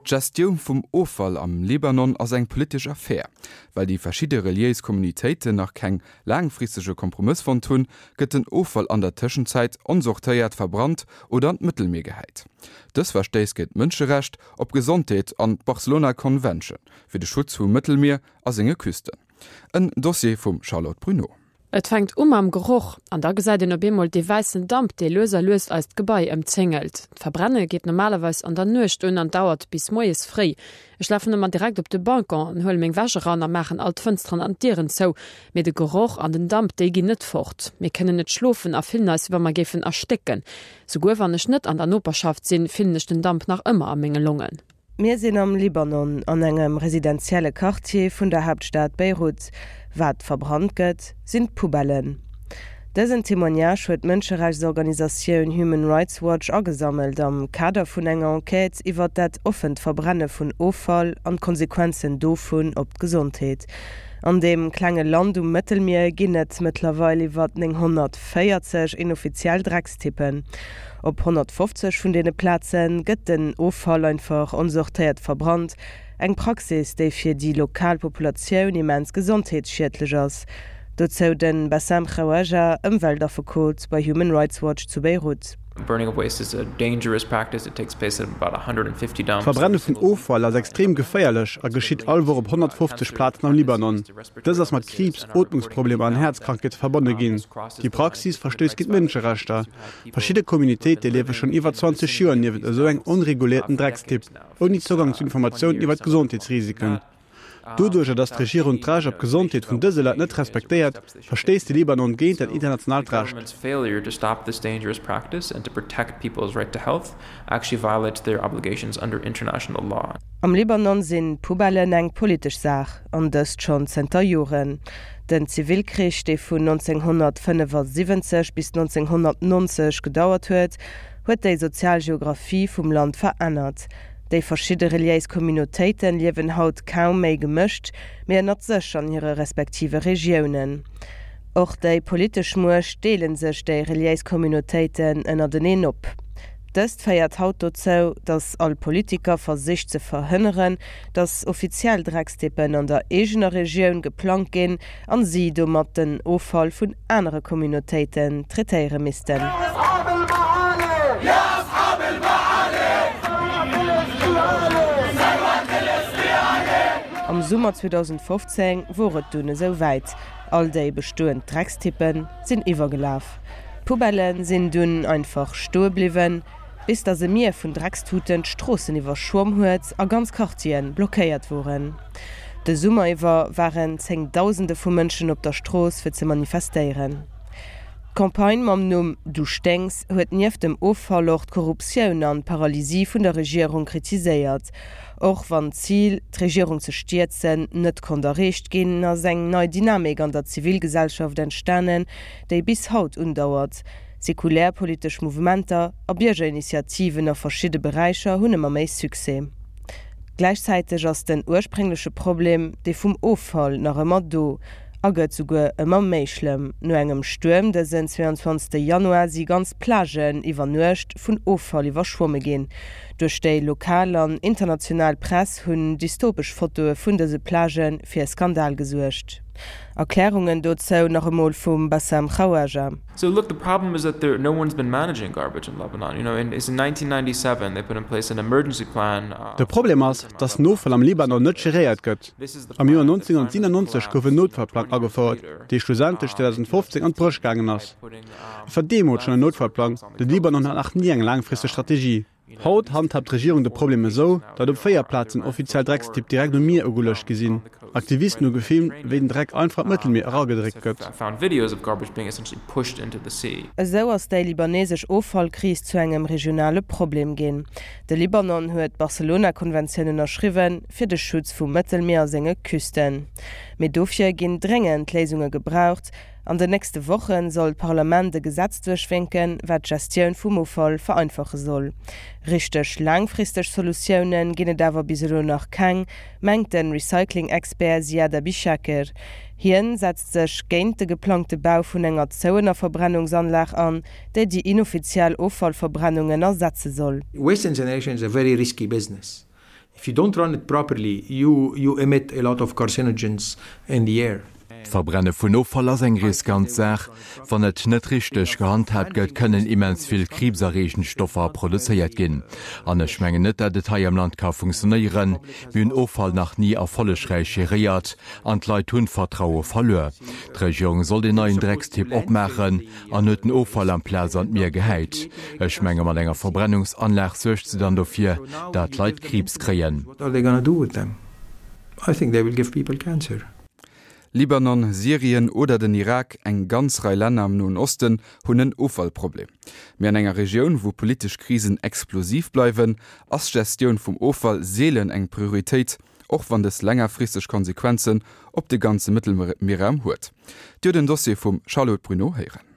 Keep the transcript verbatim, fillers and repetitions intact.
D'Gestioun vum Offall am Libanon ass eng politesch Affär. Well déi verschidde reliéis Communautéiten nach keng laangfristege Kompromëss fonnt hunn, gëtt den Offall an der Tëschenzäit onsortéiert verbrannt oder an d'Mëttelmier gehäit. Dës verstéisst géint d'Mënscherecht op Gesondheet an d'Barcelona Convention fir de Schutz vum Mëttelmier a senge Küsten. En Dossier vum Charlotte Bruneau. Et fänkt u mam Geroch an da gesäit een op eemol dee wäissen Damp, dee lues a lues eist Gebai ëmzéngelt. D'Verbrenne geet normalerweis an der Nuecht un an dauert bis moies fréi. Ech lafen ëmmer direkt op de Balcon an huele meng Wäsch eran a maachen all d'Fënsteren an d'Dieren zou. Mee de Geroch an den Damp, déi ginn net fort. Mir kënnen net schlofen a fillen eis, wéi wa mer géifen erstécken. Souguer wann ech net an der Noperschaft sinn, fillen ech den Damp nach ëmmer a menge Longen. Mir sinn am Libanon, an engem residentielle Quartier vun der Haaptstad Beirut. Wat verbrannt gëtt, sinn d'Poubellen. Dësen Témoignage huet d'Mënscherechtsorganisatioun Human Rights Watch agesammelt am Kader vun enger Enquête iwwer dat offent Verbrenne vun Offall an d'Konsequenzen dovun op d'Gesondheet. An deem klenge Land um Mëttelmier ginn et mëttlerweil iwwer nénghonnertvéierzeg inoffiziell Dreckstippen. Op honnertfofzeg vun deene Plaze gëtt den Offall einfach onsortéiert verbrannt, eng Praxis, déi fir déi lokal Populatioun immens gesondheetsschiedlech ass. Dozou de Bassam Khawaja, Ëmweltaffekot bei Human Rights Watch zu Beirut. D'Verbrenne vun Offall ass extrem geféierlech a geschitt all Woch op honnertfofzeg Plazen am Libanon. Dëst ass mat Kriibs, Ootmungsproblemer an Häerzkrankheete verbonne ginn. Déi Praxis verstéisst géint d'Mënscherechter. Verschidde Communautéite liewe schonn iwwer zwanzeg Joer niewent esou engem onreguléierten Dreckstipp, ouni Zougang zu Informatiounen iwwer d'Gesondheetsrisiken. Doduercher, datt d'Regierung d'Recht op Gesondheet vun dëse Leit net respektéiert, verstéisst de Libanon géint dat internationaalt Recht. Am Libanon sinn d'Poubellen eng politesch Saach, an dëst schonn zënter Joren. Den Zivilkrich, dee vun nonzénghonnertfënnefasiwwenzeg bis nonzénghonnertnonzeg gedauert huet, huet déi sozial Geographie vum Land verännert. Déi verschidde reliéis Communautéite liewen haut kaum méi gemëscht, mee ënnert sech an hire respektive Regiounen. Och déi politesch Muecht deele sech déi reliéis Communautéiten ënnerteneen op. Dëst féiert haut dozou, datt all Politiker versicht ze verhënneren, datt offiziell Dreckstippen an der eegener Regioun geplangt ginn an si domat den Offall vun anere Communautéiten traitéiere missten. Am Summer zweedausendfofzéng wor et dunn esou wäit, all déi bestoend Dreckstippe sinn iwwergelaf. D'Poubellë sinn dunn einfach stoe bliwwen, bis datt e Mier vun Dreckstuten d'Stroossen iwwerschwomm huet a ganz Quartiere blockéiert woren. De Summer iwwer waren Zéngdausende vu Mënschen op der Strooss fir ze manifestéieren. D'Campagne mam Numm Du sténks huet nieft dem Offall och d'Korruptioun an d'Paralysie vun der Regierung kritiséiert. Och wann d'Zil, d'Regierung ze stierzen, net konnt erreecht ginn, ass eng nei Dynamik an der Zivilgesellschaft entstanen, déi bis haut undauert. Säkulär politesch Mouvementer a Biergerinitiativen a verschidde Beräicher hunn ëmmer méi Succès. Gläichzäiteg ass den urspréngleche Problem, dee vum Offall, nach ëmmer do a gëtt souguer ëmmer méi schlëmm. No engem Stuerm dësen zweeanzwanzegste Januar si ganz Plagen iwwer Nuecht vun Offall iwwerschwomme ginn. Duerch déi lokal an international Press hunn dystopesch Fotoe vun dëse Plagë fir e Skandal gesuergt. Erklärungen dozou nach emol vum Bassam Khawaja. So look, the problem is that there no one's been managing garbage in Lebanon. You know, in it's in nineteen ninety seven they put in place an emergency plan. De Problem ass, dass den Offall am Libanon net geréiert gëtt. Am Joer nonzénhunnertsiwenannonzeg gouf en Noutfallplang agefouert, dee schlussendlech zweedausendfofzéng an d'Bréch gaangen ass. Et war deemools schonn en Noutfallplang, de Libanon hat nach ni eng laangfristeg Strategie. Haut handhaabt d'Regierung de Problem esou, datt op véier Plazen offiziell Dreckstipp direkt um Mier ugeluecht gi sinn. Aktivisten hu gefilmt, wéi den Dreck einfach an d'Mëttelmier eragedréckt gëtt. Esou ass déi libanesesch Offallkris zu engem regionale Problem ginn. De Libanon huet d'Barcelona-Konventioun ënnerschriwwen, fir de Schutz vum Mëttelmier a senge Küsten. Mee dofir ginn dréngend Léisunge gebraucht. An den nächste Woche soll d'Parlament e Gesetz duerchwénken, wat d'Gestioun vum Offall vereinfache soll. Richteg laangfristeg Solutioune ginn et awer bis elo nach keng, mengt de Recycling-Expert Ziad Abichaker. Hien setzt sech géint de geplangte Bau vun enger zouener Verbrennungsanlag an, déi déi inoffiziell Offallverbrennungen ersetze soll. Waste incineration is a very risky business. If you don't run it properly, you, you emit a lot of carcinogens in the air. D'Verbrenne vun Offall ass eng riskant Saach. Wann et net richteg gehandhaabt gëtt, kënnen immens vill kriibserreegend Stoffer produzéiert ginn. An ech mengen net, dat et hei am Land ka funktionéieren. Mir hunn Offall nach ni erfollegräich geréiert an d'Leit hunn d'Vertraue verluer. D'Regierung sollt een neien Dreckstipp opmaachen an huet den Offall amplaz an d'Mier gehäit. Ech menge mat enger Verbrennungsanlag suergt se dann dofir, dat d'Leit Kriibs kréien. What are they gonna do with them? I think they will give people cancer. Libanon, Syrien oder den Irak, eng ganz Rei Länner am Noen Osten hunn en Offallproblem. Mee an enger Regioun, wou politesch Krisen explosiv bleiwen, ass d'Gestioun vum Offall seelen eng Prioritéit, och wann dës längerfristeg Konsequenzen op de ganze Mëttelmierraum huet. Dir hutt en Dossier vum Charlotte Bruneau héieren.